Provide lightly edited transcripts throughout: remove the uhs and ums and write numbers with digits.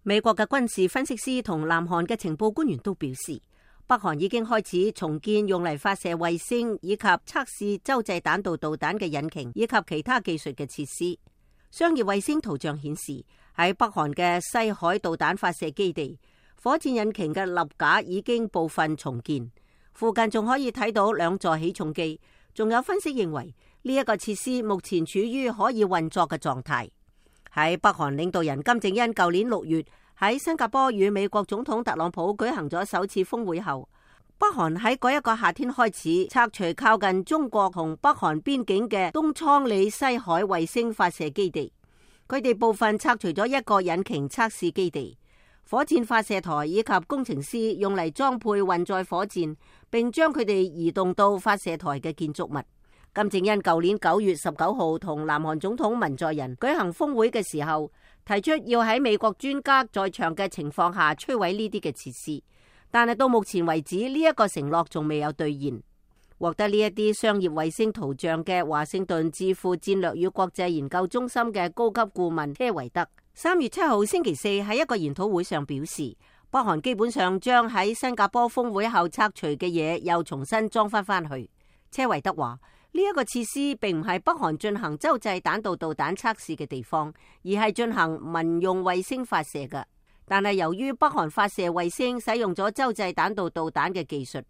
美國嘅軍事分析師同南韓嘅情報官員都表示，北韓已經開始重建用嚟發射衛星以及測試洲際彈道導彈嘅引擎以及其他技術嘅設施。商業衛星圖像顯示，喺北韓嘅西海導彈發射基地，火箭引擎嘅立架已經部分重建，附近仲可以睇到2座起重機。仲有分析認為，呢一個設施目前處於可以運作嘅狀態。喺北韓領導人金正恩舊年6月喺新加坡與美國總統特朗普舉行咗首次峰會後，北韓喺嗰一個夏天開始拆除靠近中國同北韓邊境嘅東倉里西海衛星發射基地。佢哋部分拆除咗一個引擎測試基地、火箭發射台以及工程師用嚟裝配運載火箭，並將佢哋移動到發射台嘅建築物。金正恩舊年9月19號同南韓總統文在寅舉行峰會嘅時候，提出要喺美國專家在場嘅情況下摧毀呢啲嘅設施，但係到目前為止呢一個承諾仲未有兌現。獲得呢一啲商業衛星圖像嘅華盛頓智庫戰略與國際研究中心嘅高級顧問車維德3月7號星期四喺一個研討會上表示，北韓基本上將喺新加坡峰會後拆除嘅嘢又重新裝翻去。車維德話，呢一個設施並唔係北韓進行洲際彈道導彈測試嘅地方，而係進行民用衛星發射嘅。但係由於北韓發射衛星使用咗洲際彈道導彈嘅技術，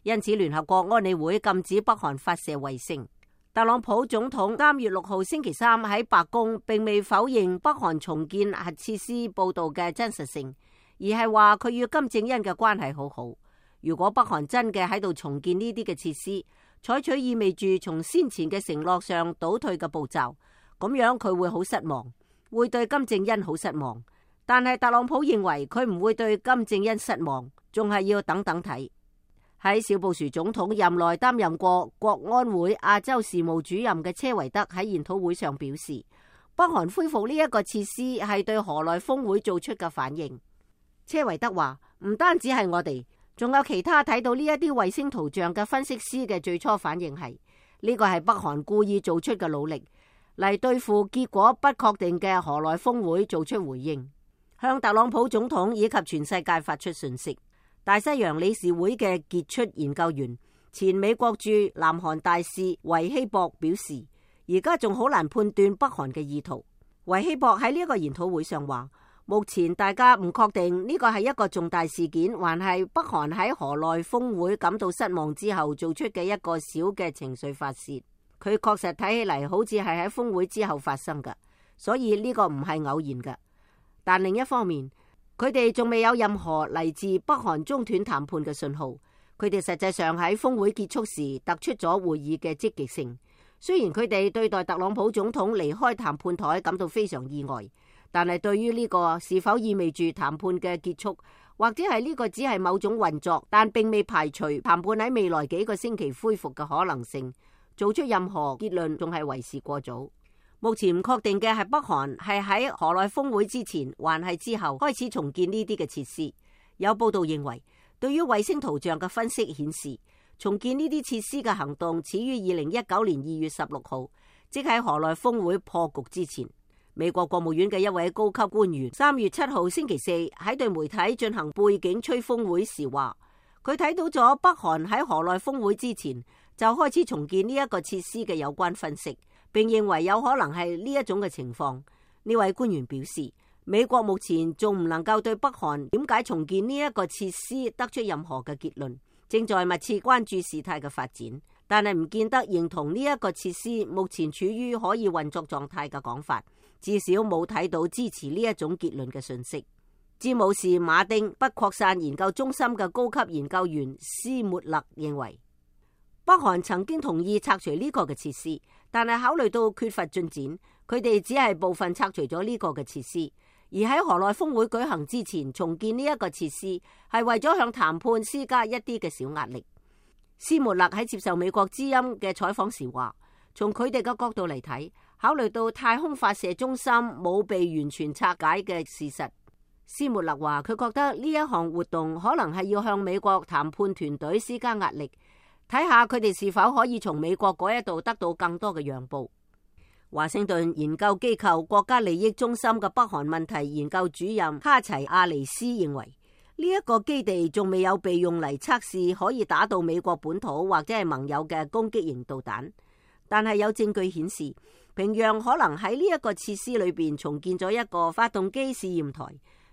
因此聯合國安理會禁止北韓發射衛星。特朗普總統3月6號星期三喺白宮並未否認北韓重建核設施報道嘅真實性，而係話佢與金正恩嘅關係好好。如果北韓真嘅喺度重建呢啲嘅設施，採取意味住從先前嘅承諾上倒退嘅步驟，咁樣佢會好失望，會對金正恩好失望。但係特朗普認為佢唔會對金正恩失望，仲係要等等睇。喺小布殊總統任內擔任過國安會亞洲事務主任嘅車維德喺研討會上表示，北韓恢復呢一個設施係對河內峰會做出嘅反應。車維德話，唔單止係我哋，仲有其他睇到呢一啲衛星圖像嘅分析師嘅最初反應係，呢個係北韓故意做出嘅努力，嚟對付結果不確定嘅河內峰會做出回應，向特朗普總統以及全世界發出訊息。大西洋理事會嘅傑出研究員、前美國駐南韓大使維希博表示，而家仲好難判斷北韓嘅意圖。維希博喺呢一個研討會上話，目前大家唔確定呢個係一個重大事件，還係北韓喺河內峰會感到失望之後做出嘅一個小嘅情緒發洩。佢確實睇起嚟好似係喺峰會之後發生嘅，所以呢個唔係偶然嘅。但另一方面，佢哋仲未有任何嚟自北韓中斷談判嘅信號。佢哋實際上喺峰會結束時突出咗會議嘅積極性。雖然佢哋對待特朗普總統離開談判台感到非常意外，但係對於呢個是否意味住談判嘅結束，或者係呢個只係某種運作，但並未排除談判喺未來幾個星期恢復嘅可能性，做出任何結論仲係為時過早。目前唔確定嘅係北韓係喺河內峰會之前還係之後開始重建呢啲嘅設施。有報道認為，對於衛星圖像嘅分析顯示，重建呢啲設施嘅行動始於2019年2月16號，即喺河內峰會破局之前。美國國務院嘅一位高級官員3月7號星期四喺對媒體進行背景吹風會時話，佢睇到咗北韓喺河內峰會之前就開始重建呢一個設施嘅有關分析，並認為有可能係呢一種嘅情況。呢位官員表示，美國目前仲唔能夠對北韓點解重建呢一個設施得出任何嘅結論，正在密切關注事態嘅發展，但係唔見得認同呢一個設施目前處於可以運作狀態嘅講法，至少冇睇到支持呢一種結論嘅訊息。詹姆士馬丁不擴散研究中心嘅高級研究員斯末勒認為，北韓曾經同意拆除呢個嘅設施，但係考慮到缺乏進展，佢哋只係部分拆除咗呢個嘅設施。而喺河內峰會舉行之前重建呢一個設施，係為咗向談判施加一啲嘅小壓力。斯末勒喺接受美國之音嘅採訪時話，從佢哋嘅角度嚟睇，考慮到太空發射中心冇被完全拆解嘅事實，斯末勒話佢覺得呢一項活動可能係要向美國談判團隊施加壓力，睇下佢哋是否可以從美國嗰一度得到更多嘅讓步。華盛頓研究機構國家利益中心嘅北韓問題研究主任卡齊亞尼斯認為，呢一個基地仲未有被用嚟測試可以打到美國本土或者係盟友嘅攻擊型導彈，但係有證據顯示，平壤可能喺呢一個設施裏邊重建咗一個發動機試驗台，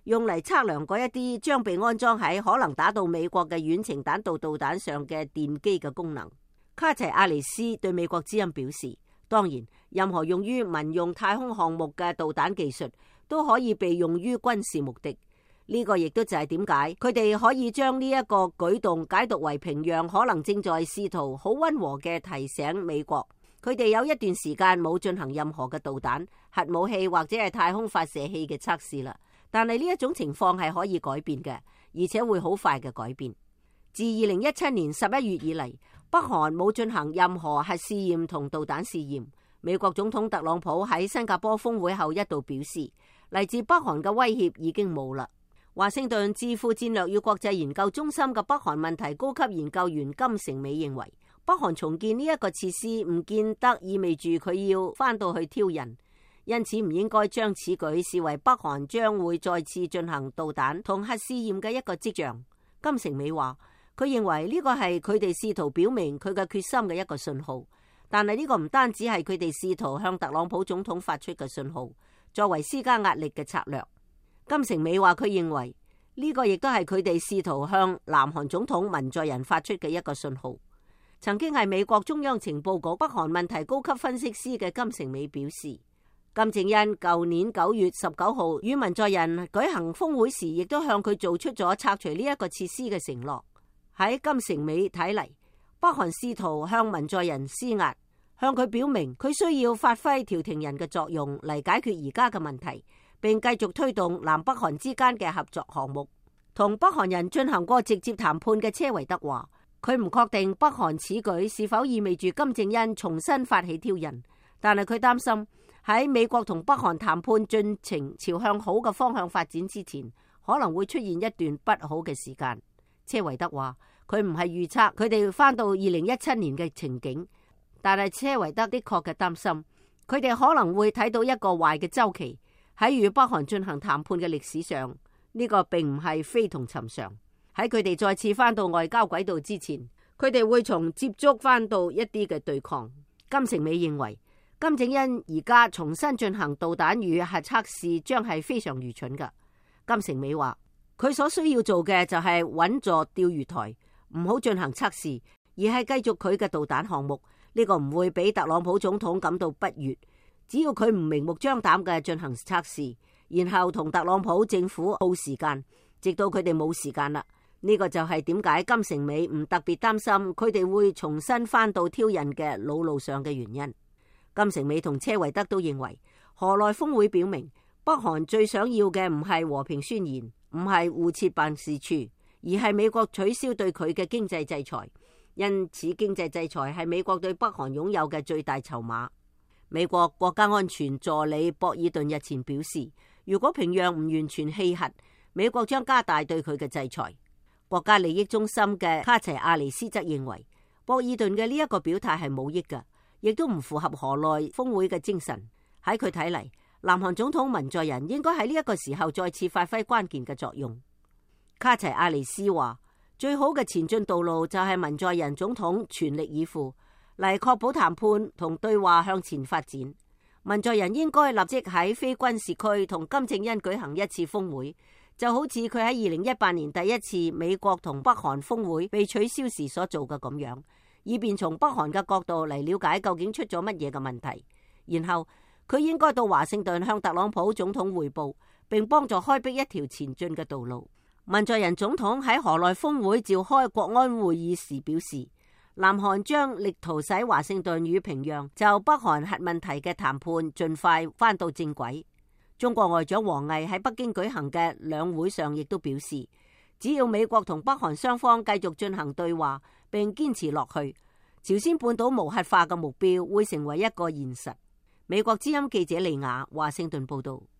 用嚟測量嗰一啲將被安裝喺可能打到美國嘅遠程彈道導彈上嘅電機嘅功能。卡齊亞尼斯對美國之音表示，當然，任何用於民用太空項目嘅導彈技術都可以被用於軍事目的。呢個亦都就係點解佢哋可以將呢一個舉動解讀為平壤可能正在試圖好溫和嘅提醒美國，佢哋有一段時間冇進行任何嘅導彈、核武器或者係太空發射器嘅測試啦。但係呢一種情況係可以改變嘅，而且會好快嘅改變。自2017年11月以嚟，北韓冇進行任何核試驗同導彈試驗。美國總統特朗普喺新加坡峰會後一度表示，嚟自北韓嘅威脅已經冇啦。華盛頓智庫戰略與國際研究中心嘅北韓問題高級研究員金城美認為，北韓重建呢一個設施唔見得意味住佢要翻到去挑釁，因此唔應該將此舉視為北韓將會再次進行導彈同核試驗嘅一個跡象。金城美話，佢認為呢個係佢哋試圖表明佢嘅決心嘅一個信號，但係呢個唔單止係佢哋試圖向特朗普總統發出嘅信號，作為施加壓力嘅策略。金城美話，佢認為呢個亦都係佢哋試圖向南韓總統文在寅發出嘅一個信號。曾經係美國中央情報局北韓問題高級分析師嘅金城美表示，金正恩舊年9月19號與文在寅舉行峰會時，亦都向佢做出咗拆除呢一個設施嘅承諾。喺金城美睇嚟，北韓試圖向文在寅施壓，向佢表明佢需要發揮調停人嘅作用嚟解決而家嘅問題，並繼續推動南北韓之間嘅合作項目。同北韓人進行過直接談判嘅車維德話，佢唔確定北韓此舉是否意味住金正恩重新發起挑釁，但係佢擔心喺美國同北韓談判進程朝向好嘅方向發展之前，可能會出現一段不好嘅時間。車維德話，佢唔係預測佢哋翻到2017年嘅情景，但係車維德的確嘅擔心，佢哋可能會睇到一個壞嘅週期。喺與北韓進行談判嘅歷史上，呢個並唔係非同尋常。喺佢哋再次翻到外交軌道之前，佢哋會從接觸翻到一啲嘅對抗。金城美認為，金正恩而家重新進行導彈與核測試將係非常愚蠢㗎。金城美話，佢所需要做嘅就係穩坐釣魚台，唔好進行測試，而係繼續佢嘅導彈項目。呢個唔會俾特朗普總統感到不悅。只要佢唔明目張膽嘅進行測試，然後同特朗普政府耗時間，直到佢哋冇時間啦。呢個就係點解金城美唔特別擔心佢哋會重新翻到挑釁嘅老路上嘅原因。金城美同車維德都認為，河內峰會表明北韓最想要嘅唔係和平宣言，唔係互設辦事處，而係美國取消對佢嘅經濟制裁。因此，經濟制裁係美國對北韓擁有嘅最大籌碼。美國國家安全助理博爾頓日前表示，如果平壤唔完全棄核，美國將加大對佢嘅制裁。國家利益中心嘅卡齊亞尼斯則認為，博爾頓嘅呢一個表態係冇益嘅，亦都唔符合河內峰會嘅精神。喺佢睇嚟，南韓總統文在寅應該喺呢一個時候再次發揮關鍵嘅作用。卡齊亞尼斯話，最好嘅前進道路就係文在寅總統全力以赴嚟確保談判同對話向前發展。文在寅應該立即喺非軍事區同金正恩舉行一次峰會，就好似佢喺2018年第一次美國同北韓峰會被取消時所做嘅咁樣，以便從北韓嘅角度嚟了解究竟出咗乜嘢嘅問題。然後佢應該到華盛頓向特朗普總統匯報，並幫助開闢一條前進嘅道路。文在寅總統喺河內峰會召開國安會議時表示，南韓將力圖使華盛頓與平壤就北韓核問題嘅談判盡快返到正軌。中國外長王毅喺北京舉行嘅兩會上亦都表示，只要美國同北韓雙方繼續進行對話並堅持落去，朝鮮半島無核化嘅目標會成為一個現實。美國之音記者利雅華盛頓報道。